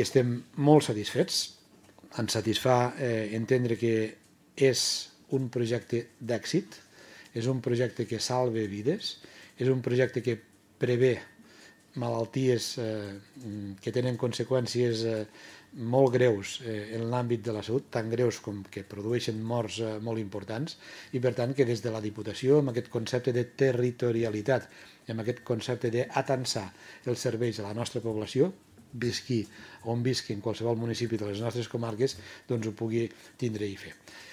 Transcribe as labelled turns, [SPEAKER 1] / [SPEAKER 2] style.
[SPEAKER 1] Estem molt satisfets, ens satisfà entendre que és un projecte d'èxit, és un projecte que salva vides, és un projecte que prevé malalties que tenen conseqüències molt greus en l'àmbit de la salut, tan greus com que produeixen morts molt importants, i per tant que des de la Diputació, amb aquest concepte de territorialitat, amb aquest concepte d'atansar els serveis a la nostra població, visqui on visqui en qualsevol municipi de les nostres comarques, doncs ho pugui tindre i fer.